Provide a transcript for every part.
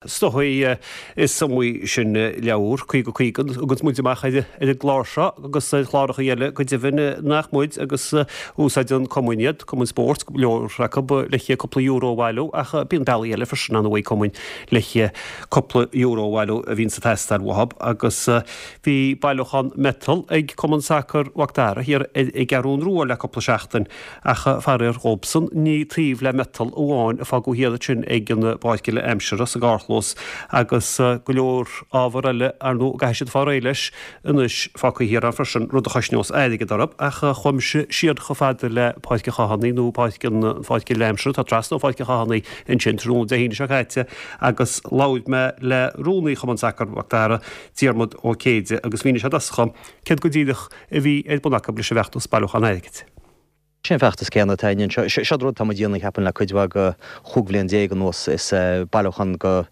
Is dóigh is iomaí sin leabhar, 50 50, a thuganns muid amach ar an gclár seo agus ar chláracha eile go deimhin nach muid agus úsáideann cumainn iad, cumainn spóirt, go leor acu le cúpla euro a bhailiú ach bíonn bealaí eile freisin ann ag cumainn le cúpla euro a bhailiú a bhíonns ag teastáil uathu agus bhí bailiúchán miotal ag Cumann Sacair Mhac Dara thiar ar an gCeathrún Rua le cúpla seachtain. Ach faraor dhóibhsan, ní taobh le miotal amháin a fágadh thiar ansin ag an bpáirc uile aimsire sa gcarrchlós agus go leor ábhar eile, ar ndóigh, a gcaithfidh siad fáil réidh leis anois fágtha thiar ann freisin, rud a chosnós airgead orthu. Ach chuaigh mise siar chomh fada le Páirc an Chathánaigh nó Páirc an Pháirc uile aimsire atá trasna ó Pháirc an Chathánaigh ansin tráthnóna Dé hAoine seo caite agus labhair mé le rúnaí Chumann Sacair Mhac Dara, Diarmuid Ó Céide, agus mhínigh sé domhsa céard go díreach a bhí ar bun acu leis an bhfeachtas bailiúchán airgid. Sé an feachtas céanna atá againn anseo. Seo rud atá muid a dhéanamh cheapfainn le cuid mhaith de chúig bhliain déag anuas. Is bailiúchán de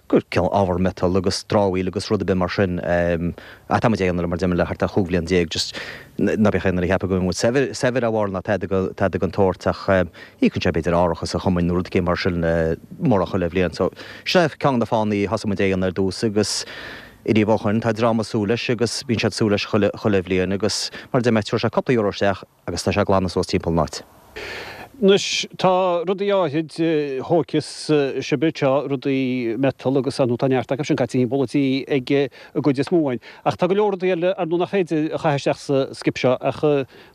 cineál ábhar miotail agus dramhaíl agus rud ar bith mar sin. Ach tá muid á dhéanamh le mar deir mé le thart ar chúig bhliain déag. Just ná beadh aon duine ag ceapadh go bhfuil muid saibhir saibhir dá bharr ná tada tada den tsórt ach íocann sé b'fhéidir árachas an chumainn nó rud éicint mar sin mórán chuile bhliain. So sin é ceann de na fáthanna a thosaigh muid é a dhéanamh ar dtús agus Ariamh ó shoin, tá dream ag súil leis agus bíonn siad ag súil leis chuile, chuile bhliain agus mar a deir mé, tabharfaidh sé cúpla euro isteach agus tá sé ag glanadh suas timpeall an áit. Anois, tá rudaí áithrid thóigfeas sibh anseo, rudaí miotal agus ar ndóigh tá neart acu sin caite timpeall an tí ag an gcuid is mó againn. Ach tá go leor rudaí eile ar ndóigh nach féidir a chaitheamh isteach sa skip seo ach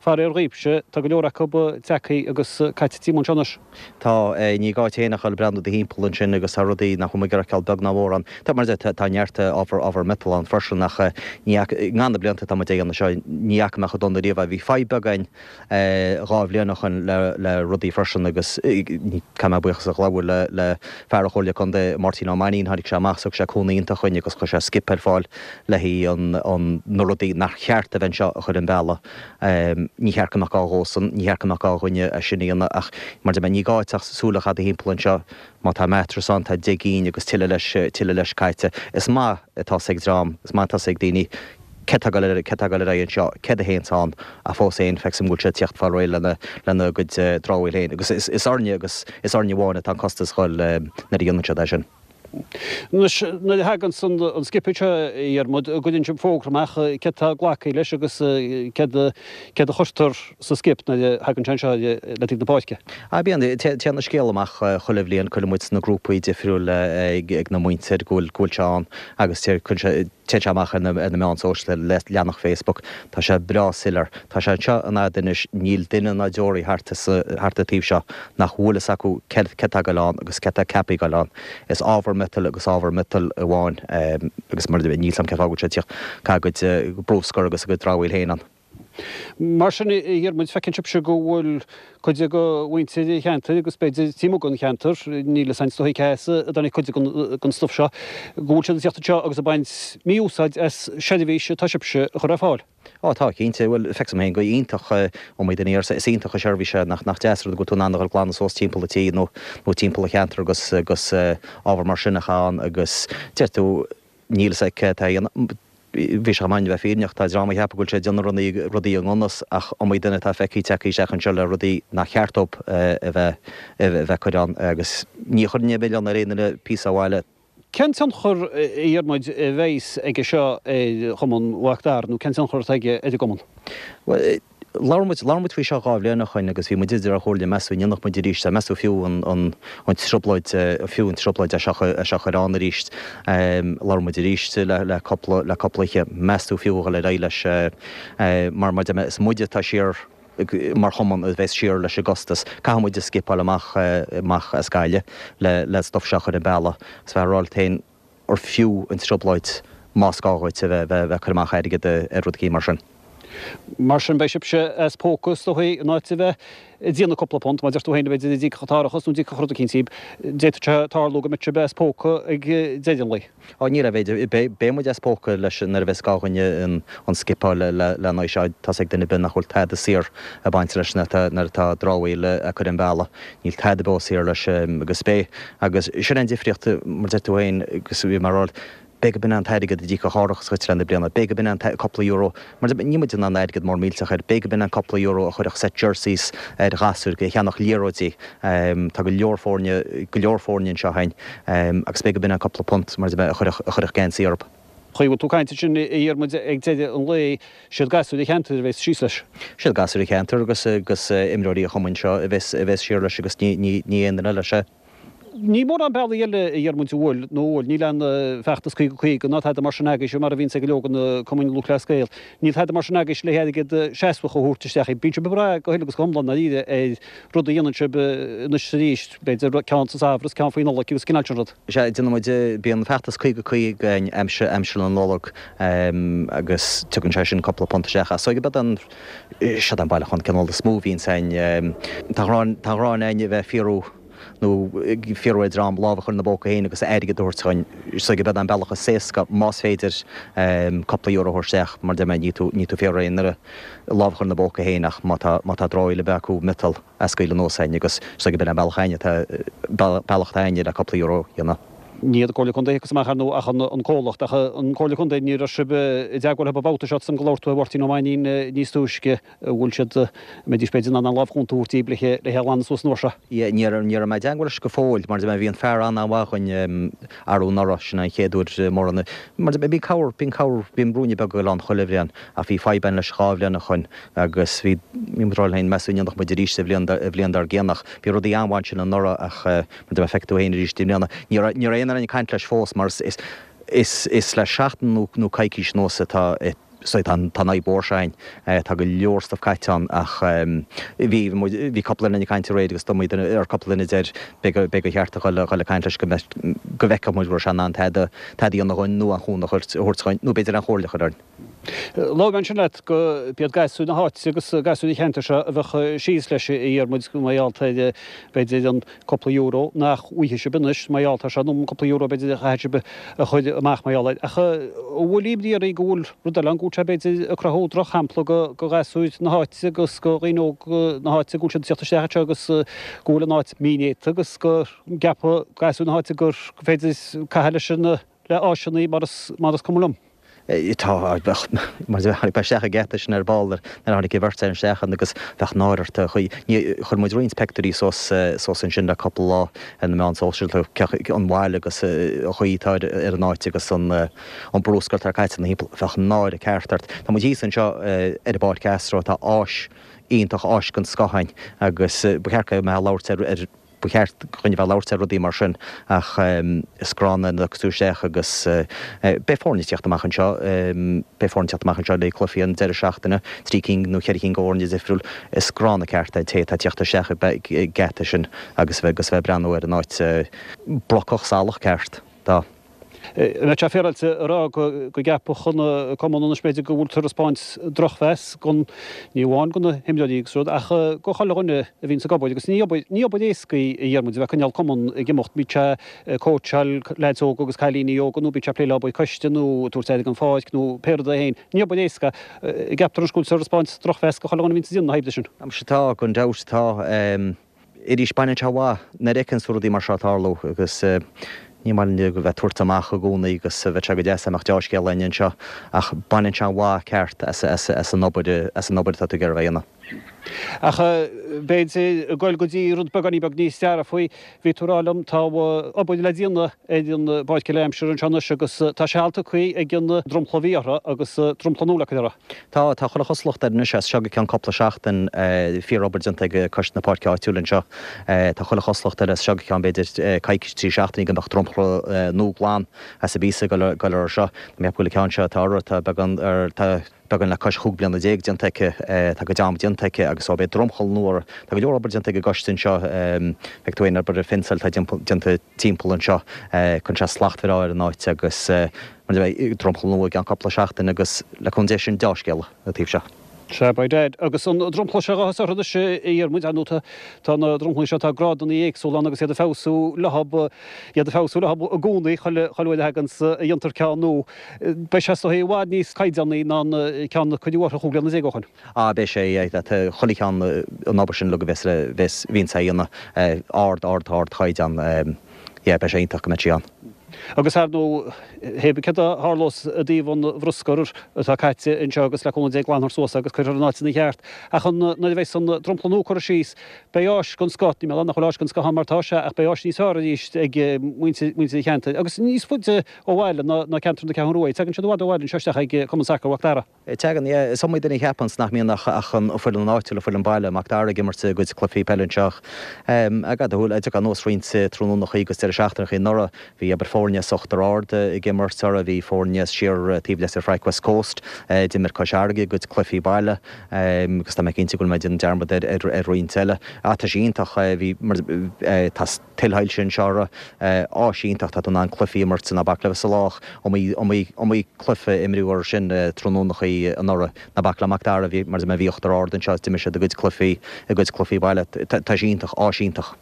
faraor dhaoibhse, tá go leor acu tagtha agus caite timpeall anseo anois. Tá, ní gá duit féin ach dul ag breathnú do thimpeall ansin agus tá rudaí nach bhfuil muid ag iarraidh a fheiceáil beag ná mór ann. Tá, mar a deir, tá neart ábhar, ábhar miotail ann freisin ach ní fhaca, i ngach na blianta atá muid ag déanamh seo, ní fhaca mé chomh dona riamh é. Bhí fadhb beag againn dhá bhliain ó shoin le, le rudaí freisin agus caithfidh mé buíochas a ghabháil le, le fear an Chomhairle Contae, Máirtín Ó Mainnín, tháinig sé amach, thug sé cúnamh iontach dhuinn agus chuir sé skip ar fáil le haghaidh an, an, na rudaí nach cheart a bheith anseo a chur ar an bhealach. Ní cheart go mbeadh gá dhósan, ní cheart go mbeadh gá dhúinne é sin a dhéanamh ach mar a deir mé, ní gá duit ach súil a chaitheamh timpeall anseo, má tá mattress ann, tá 10 gcinn agus tuilleadh leis, tuilleadh leis caite. Is maith atá 's ag dream, is maith atá 's ag daoine céard tá ag dul ar, céard tá ag dul ar aghaidh anseo, céard a théanns ann ach fós féin feictear dom go bhfuil siad ag tíocht fáil réidh lena, lena gcuid dramhaíl féin agus is, is orainne agus is orainne amháin atá an costas a dhul nuair a dhéanann siad é sin. Anois, nuair a thaganns an skip seo, a Dhiarmuid, an gcuireann sibh fógra amach céard tá glactha leis agus céard a chuirtear sa skip nuair a thagann sé anseo le taobh na páirce? Ah, bíonn. Téann an scéal amach chuile bhliain, cuireann muid sna grúpaí difriúla ag na muintir go bhfuil go bhfuil sé ann agus téann sé amach ar na meáin sóisialta, leathanach Facebook. Tá sé breá soiléir. Tá sé anseo in fhad anois, níl duine ná deoraí thart thart an taobh seo nach bhfuil fhios acu céard tá ag goil ann agus céard tá ceaptha ag goil ann. Is ábhar miotail agus ábhar miotail amháin agus mar níl 's a'm cén fáth go bhfuil sé ag tíocht ag caitheamh a gcuid bruscar agus a gcuid dramhaíl féin ann. Mar sin, a Dhiarmuid, feiceann sibhse go bhfuil cuid de mhuintir an cheantair agus b'fhéidir taobh amuigh den cheantar, níl fhios a'inn is dóigh cé as a dtáinig cuid den stuif seo, go bhfuil siad ag tíocht anseo agus ag baint mí-úsáid as seirbhís atá sibhse a chur ar fáil. Ó tá, cinnte. Bhuel, feictear dom féin go iontach iomaí duine arsa, is iontach an seirbhís é, nach nach deas an rud go bhfuil tú in ann a dhul ag glanadh suas timpeall an tí nó nó timpeall an cheantair agus agus ábhar mar sin a chaitheamh ann agus deir tú níl fhios a'd cé atá a dhéanamh. Bhí sé chomh maith a bheith fírinneach, tá dream a cheapadh go bhfuil sé ag déanamh rudaí rudaí i ngan fhios ach iomaí duine atá feicthe tagtha isteach anseo le rudaí nach cheart dóibh a bheith a bheith ag cur ann agus ní chuirfinn aon mhilleán ar aon duine píosa abhaile Cén tionchar, a Dhiarmuid, a bheas aige seo ar Chumann Mhac Dara nó cén tionchar atá aige ar an gcumann? Bhuel, labhair muid, labhair muid faoi seo dhá bhliain ó shoin agus bhí muid idir dhá chomhairle, meas tú an ndéanfadh muid arís é, meas tú fiú an, an, an trioblóid, fiú an trioblóid é seo, é seo a chur ann arís. Labhair muid arís le, le cúpla, le cúpla oíche, meas tú fiú a dhul ar aghaidh leis mar, mar deir mé, is muide atá siar, mar chumann a bheas siar leis an gcostas. Caithfidh muid an skip a fháil amach amach as Gaillimh le le stuif seo a chur ar an bealach. Is bheith ag rá leat féin ar fiú an trioblóid más gá dhuit a bheith bheith ag cur amach airgead ar rud eicínt mar sin. Mar sin beidh sibhse as póca is dóigh in áit a bheith ag déanamh cúpla punt, mar deir tú féin, b'fhéidir a d'íocfadh an t-árachas nó d'íocfadh rud eicínt díbh. D'fhéadfadh sé tarlú go mbeadh sibh as póca ag deireadh an lae. Á, ní raibh, b'fhéidir, beidh muid as póca leis nuair a bheas gá dhuinn an skip a fháil le lena aghaidh seo. Tá's ag duine ar bith nach bhfuil tada saor ag baint leis nuair atá, nuair atá dramhaíl á cur ar an bhealach. Níl tada beo saor leis agus beidh, agus sin an difríocht, mar deir tú féin, agus bhí mé ag rá. B'fhéidir go b'in é an t-airgead a d'íocfadh árachas dhuit le na bliana, b'fhéidir go b'in é an cúpla euro, mar níl muid in ann airgead mór millteach air, b'fhéidir go b'in é an cúpla euro a chuirfeadh set jerseys ar ghasúir, a cheannódh liathróidí, tá go leor foirne, go leor foirne anseo againn agus b'fhéidir go b'in é an cúpla punt, mar a chuirfeadh, a chuirfeadh geansaí orthu. Chaoi a bhfuil tú ag caint ansin, a Dhiarmuid, ag deireadh an lae, siad gasúir an cheantair a bheas síos leis. Siad gasúir an cheantair agus, agus imreoirí an chumainn seo a bheas, a bheas siar leis agus ní, ní, ní aon duine eile, sea. Ní mórán bealaí eile, a Dhiarmuid, an bhfuil, nó an bhfuil, níl aon feachtas 50 50 ná tada mar sin agaibhse, mar a bhíonns ag go leor de na cumainn Lúthchleas Gael. Níl tada mar sin agaibhse le hairgead seasmhach a thabhairt isteach. Bíonn sibh ag brath go huile agus go hiomlán ndáiríre ar rud a dhéanann sibh anois is arís, b'fhéidir ceann sa samhradh is ceann faoi Nollaig agus an cineál sin rud. Sea, déanann muid, bíonn feachtas 50 50 againn aimsir, aimsir na Nollag agus tugann sé sin cúpla punt isteach. Ach is dóigh gurb é an, seod é an bailiúchán cineál is mó a bhíonns againn. Tá an ghráin againn a bheith ag fiafraí nó ag fiafraí ar dhream lámh a chur ina bpóca féin agus airgead a thabhairt chugainn. Is dóigh gurb é an bealach is éasca, más féidir, cúpla euro a thabhairt isteach, mar deir mé, ní tú ag fiafraí aon duine lámh a chur ina bpóca féin ach má tá má tá dramhaíl ar bith acu miotal a scaoileadh anuas againn agus is dóigh gurb é an bealach againne atá bealach atá againne le cúpla euro a dhéanamh. Ní hiad an Comhairle Contae a thiocfas amach ar ndóigh ach an comhlacht ach an Comhairle Contae ní raibh sibh i dteagmháil leo an babhta seo san go labhair tú le Máirtín Ó Mainnín níos túisce. An bhfuil siad, an mbeidís b'fhéidir in ann an lámh chúnta a thabhairt daoibh le é a ghlanadh suas an uair seo? Yeah, ní raibh, ní raibh mé i dteagmháil leis go fóill, mar bhí an fear an-an-mhaith againn arú anuraidh, sin an chéad uair mórán, mar bíonn cabhair, bíonn cabhair, bíonn ruainne beag ag dul ann chuile bhliain, ach bhí fadhb againn leis 2 bhliain ó shoin agus bhí, bhí muid ag rá linn féin, meas tú an ndéanfadh muid arís sa bhliain, an bhliain dár gcionn ach bhí rudaí an-mhaith ansin anuraidh ach mar feicfidh tú féin arís i mbliana, ní raibh, ní raibh aon duine ag caint leis fós mar is, is, is, is le seachtain nó, nó coicís anuas atá, So tá an fhadhb mhór seo againn. Tá go leor stuif caite ann ach bhí muid, bhí cúpla duine ag caint aréir agus d'iomaí duine, ar cúpla duine a deir b'fhéidir gur cheart a dhul a dhul ag caint leis go mbeadh, go bhfeicfeadh muid go raibh sé in ann tada, tada a dhéanamh dhúinn nó aon chúnamh a thabhairt dhúinn nó b'fhéidir aon chomhairle a chur orainn. Labhair mé ansin leat go b'iad gasúir na háite agus gasúir an cheantair seo a bheadh síos leis a Dhiarmuid mar gheall ar b'fhéidir an cúpla euro nach bhfaighidh sibh anois mar gheall air seo, nó an cúpla euro b'fhéidir a chaithfidh sibh a chur amach mar gheall air. Ach an bhfuil imní oraibh go bhfuil rud eile ann, go bhfuil sé b'fhéidir ag cruthú drochshampla do ghasúir na háite agus do dhaoine óga na háite go bhfuil siad ag teacht isteach anseo agus go bhfuil an áit mínéata agus go gceapfaidh gasúir na háite gur féidir caitheamh leis na le áiseanna mar is mar is cuma liom. Tá, bheadh, mar tháinig mé isteach an geata sin ar ball nuair a tháinig an bheirt fhear isteach ann agus bheadh náire ort a chaoi. Ní, chuir muid roinnt peictiúirí suas, suas ansin le cúpla lá ar na meáin sóisialta, an bhail agus an chaoi atá ar, ar an áit agus an, an bruscar atá caite ina thimpeall. Bheadh náire ceart ort. Tá muid thíos anseo ar an bPáirc Astro, tá áis iontach, áis den scoth againn agus ba cheart go mbeifeá ag labhairt ar, ar, Ba cheart dhúinn a bheith ag labhairt ar rudaí mar sin ach is gránna nuair a thiocfas tú isteach agus beidh foirne ag tíocht amach anseo, beidh foirne ag tíocht amach anseo le cluichí an deireadh seachtaine, trí cinn nó cheithre cinn de fhoirne difriúil. Is gránna ceart é an té atá ag tíocht isteach an geata sin agus a bheith ag breathnú ar an áit brocach salach ceart. Tá. An mbeadh sé féaráilte a rá go gceapfadh an cumann anois b'fhéidir go bhfuil tú ag taispeáint drochmheas don, ní amháin do na himreoirí agus rud, ach do chuile dhuine a bhíonns ag obair agus ní obair, ní obair éasca í a Dhiarmuid a bheith ag coinneáil cumann ag imeacht, bíodh sé ag cóitseáil leaids óga agus cailíní óga nó bíodh sé ag plé le obair coiste nó ag tabhairt aire don pháirc nó pé rud é féin, ní obair éasca é. An gceaptar anois go bhfuil tú ag taispeáint drochmheas do chuile dhuine a bhíonns ag déanamh na hoibre sin. Muise tá, gan dabht tá. Arís, baineann sé amach nuair a fheiceann tú rudaí mar seo ag tarlú agus ní maith linn a bheith ag tabhairt amach i gcónaí agus bheadh sé go deas dá mbeadh deá-scéala againn anseo ach baineann sé an mhaith ceart as an obair as an obair atá tú ag iarraidh a bheith a dhéanamh. Ach b'fhéidir ag goil go dtí rud beagáinín beag níos dearfaí, bhí tú ag rá liom tá obair le déanamh ar an bpáirc eile aimsire anseo anois agus tá seal tugtha ag an dromchla a bhí orthu agus dromchla nua le cur orthu. Tá, tá chuile chosúlacht air anois as seo go ceann cúpla seachtain, fíor-obair déanta ag coiste na páirce áitiúil anseo. Tá chuile chosúlacht air as seo go ceann b'fhéidir coicís, 3 seachtainí go mbeadh dromchla nua glan as an bpíosa ag dul air seo. Tá mé ag ceapadh go bhfuil an ceann seo atá orthu, tá beagán ar, tá beagán le cois chúig bliana déag déanta aici, tá a cuid ama déanta aici agus so beidh dromchla nua orthu. Tá go leor obair déanta ag an gcoiste anseo, feicfidh tú féin obair phionsail atá déanta timpeall anseo, cuireann sé slacht bhreá ar an áit agus mar a deir mé, dromchla nua i gceann cúpla seachtain agus le cúnamh Dé sin deá-scéala an taobh seo. Sea, by dad. Agus an dromchla seo athá orthu anois a Dhiarmuid, ar ndóigh tá na dromchlaí seo, tá grádanna éagsúla ann agus iad ag feabhsú leo, iad ag feabhsú leo i gcónaí chuile uair a thaganns, a dhéantar ceann nua. Beidh sé is dóigh i bhfad níos caighdeánaí ná an ceann a cuireadh orthu 15 bliana ó shoin. Ah, beidh sé, yeah, tá chuile cheann an obair sin uilig a bheas, bheas, bhíonns á dhéanamh, ard, ard, ard chaighdeán, yeah, beidh sé iontach go mbeidh sí ann. Agus ar ndóigh, hé bith céard a tharlós i dtaobh an bhruscair atá caite anseo agus le cúnamh Dé glanfar suas é agus cuirfear in áit ina cheart. Ach an nuair a bheas an dromchla nua curtha síos, beidh áis den scoth, níl mé ag rá nach bhfuil áis den scoth ann mar atá sé, ach beidh áis níos fearr arís ag muintir an cheantair agus níos faide ó bhaile ná ceantar na Ceathrún Rua. Tagann siad i bhfad ó bhaile anseo isteach ag Cumann Sacair Mhac Dara. Tagann, yeah. Is iomaí duine a cheapanns nach mbíonn ach ach an foireann áitiúil, an foireann baile, Mac Dara ag imirt a gcuid cluichí peile anseo ach ag a shúil, ag anuas roinnt tráthnónachaí agus deireadh seachtaineachaí anuraidh, bhí abair foirne as Uachtar Ard ag imirt orthu, bhí foirne as siar taobh Leitir Fraic West Coast, d'imir Cois Fharraige a gcuid cluichí baile agus tá mé cinnte go bhfuil mé ag déanamh dearmad ar ar roinnt eile. Ach tá sé iontach, bhí mar tá tuilshoilse anseo orthu, áis iontach, tá tú in ann cluichí a imirt, ná bac le bheith salach, iomaí, iomaí, iomaí cluiche a imríodh orthu sin tráthnónachaí anuraidh, ná bac le Mac Dara, bhí, mar a deir mé, bhí Uachtar Ard anseo is d'imir siad a gcuid cluichí, a gcuid cluichí baile. Tá sé iontach, áis iontach.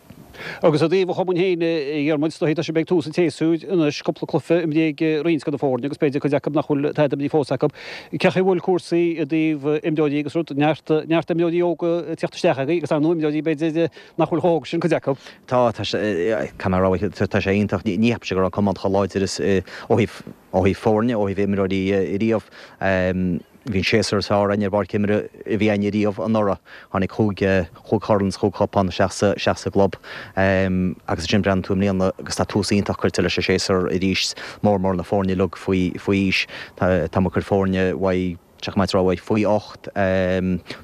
Agus i dtaobh an chumainn féin, a Dhiarmuid, is dóigh, tá sibh ag tús an tséasúir anois, cúpla cluiche imrithe ag roinnt de na foirne agus b'fhéidir cuid acu nach bhfuil tada imrithe fós acu. Cén chaoi a bhfuil cúrsaí i dtaobh imreoirí agus rud, neart, neart imreoirí óga ag tíocht isteach agaibh agus ar ndóigh imreoirí b'fhéidir nach bhfuil chomh hóg sin, cuid acu. Tá, tá sé, caithfidh mé a rá, tá sé iontach. Ní cheapaimse go raibh an cumann chomh láidir is, ó thaobh, ó thaobh foirne, ó thaobh imreoirí riamh. Bhí an séasúr is fearr againn ar bpáirc imeartha a bhí againn riamh anuraidh. Tháinig chúig, chúig chorn is chúig chupán isteach sa, isteach sa gclub. Agus ansin breathnaíonn tú i mbliana agus tá tús iontach curtha leis an séasúr arís, mór mór na foirne uilig faoi, faoi aois. Tá, tá muid ag cur foirne uaidh, Tá mé ag rá faoi 8,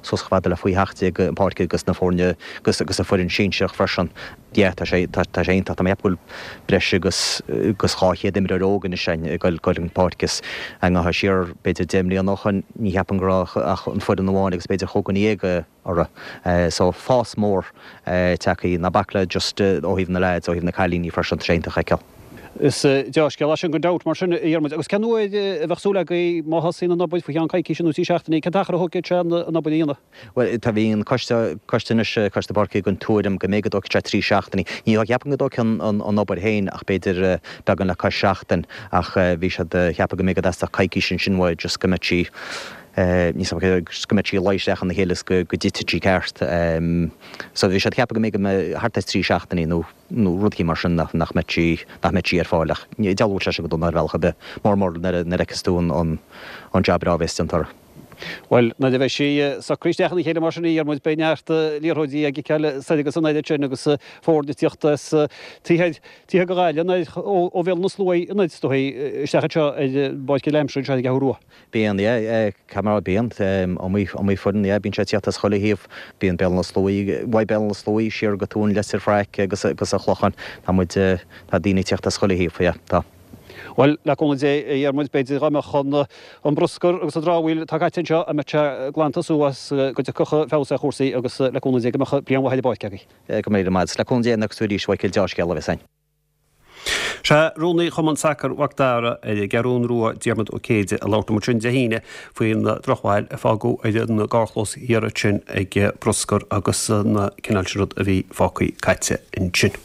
suas chomh fada le faoi 17 an pháirc agus na foirne agus agus an foireann sinsearach freisin. Yeah, tá sé tá sé iontach. Tá mé ag ceapadh go bhfuil breis agus agus 200 imreoir óg anois againn ag goil goil an pháirc is dá ngabhfá siar b'fhéidir 10 mbliana ó shoin ní cheapaim go raibh ach an foireann amháin agus b'fhéidir chúig dhuine dhéag orthu. So fás mór tagtha, ná bac le just ó thaobh na leaids, ó thaobh na cailíní freisin, tá sé iontach a fheiceáil. Is dea-scéal é sin gan dabht mar sin, a Dhiarmuid. Agus cén uair a bheadh súil agaibh má thosaíonn an obair, faoi cheann coicíse nó trí seachtainí, cén t-achar a thógfaidh sé an obair a dhéanamh? Bhuel, tá, bhí an coiste, coiste anois, coiste páirce den tuairim go mb'fhéidir go dtógfaidh sé trí seachtainí. Ní cheapaim go dtógfaidh an, an, an obair féin ach b'fhéidir beagán le cois seachtain ach bhí siad ag ceapadh go mb'fhéidir go dteastódh coicís ansin uaidh just go mbeadh sí, níl 's agam go mbeadh sí ag luí isteach ina chéile is go dtitfidh sí ceart. So bhí siad ag ceapadh go mb'fhéidir go mbeadh thart ar trí seachtainí nó nó rud éicint mar sin nach nach mbeadh sí nach mbeadh sí ar fáil ach ní dealródh sé sin go dona ar bhealach ar bith, mór mór nuair a nuair a fheiceas tú an an an jab breá a bhéas déanta uirthi. Bhuel, nuair a bheidh sí socraithe isteach ina chéile mar sin a Dhiarmuid, beidh neart liathróidí á gciceáil soir agus anoir ansin agus foirne ag tíocht as taobh thoir taobh thiar de Ghaillimh, ó ó Bhéal na Sluaighe anoir is dóigh isteach anseo ar an bPáirc Aimsire anseo ar an gCeathrú Rua. Bíonn, yeah, caithfidh mé a rá, bíonn, iomaí, iomaí foireann, yeah, bíonn sé ag tíocht as chuile thaobh, bíonn Béal na Sluaighe, uaidh Béal na Sluaighe siar go Tuaim Leitir Fraic agus, agus an Clochán, tá muid, tá daoine ag tíocht as chuile thaobh, yeah, tá. Bhuel, le cúnamh Dé, a Dhiarmuid, b'fhéidir dá mbeadh an, an bruscar agus an dramhaíl atá caite anseo, a mbeadh sé glanta suas, go dtiocfadh feabhas ar chúrsaí agus le cúnamh Dé go mbeadh bliain mhaith ar an bpáirc agaibh. Go raibh míle maith agat. Le cúnamh Dé, nuair a fheicfeas tú arís, a Mhichíl, deá-scéala a bheas ann. Sea, Rúnaí Chumann Sacair Mhac Dara ar an gCeathrún Rua, Diarmuid Ó Céide, a labhairt liom ansin Dé hAoine faoin drochbhail a fágadh ar an gcarrchlós thiar ansin ag bruscar agus an cineál sin rud a bhí fágtha caite ansin.